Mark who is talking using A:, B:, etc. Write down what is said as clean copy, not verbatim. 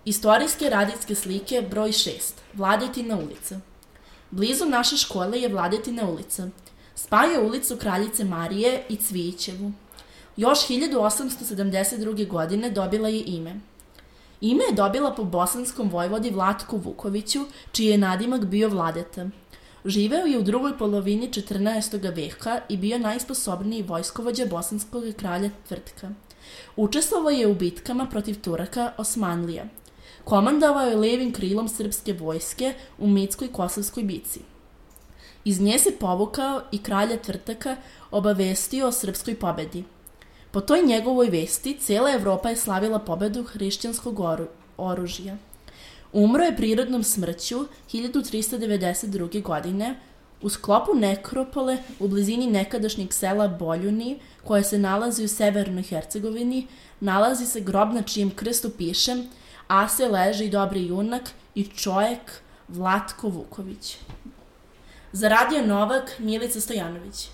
A: Istorijske radijske slike broj 6. Vladetina ulica. Blizu naše škole je Vladetina ulica. Spaja ulicu Kraljice Marije i Cvijićevu. Još 1872. godine dobila je ime. Ime je dobila po bosanskom vojvodi Vlatku Vukoviću, čiji je nadimak bio Vladeta. Živeo je u drugoj polovini 14. veka i bio najsposobniji vojskovođa bosanskog kralja Tvrtka. Učestvovao je u bitkama protiv Turaka Osmanlija. Komandovao je levim krilom srpske vojske u Mitskoj Kosovskoj bici. Iz nje se povukao i kralja Tvrtaka obavestio o srpskoj pobedi. Po toj njegovoj vesti cijela Evropa je slavila pobedu hrišćanskog oružja. Umro je prirodnom smrću 1392. godine u sklopu nekropole u blizini nekadašnjeg sela Boljuni, koje se nalazi u severnoj Hercegovini, nalazi se grob na čijem krstu piše "Ase leži dobri junak i čovjek Vlatko Vuković". Za Radio Novak, Milica Stojanović.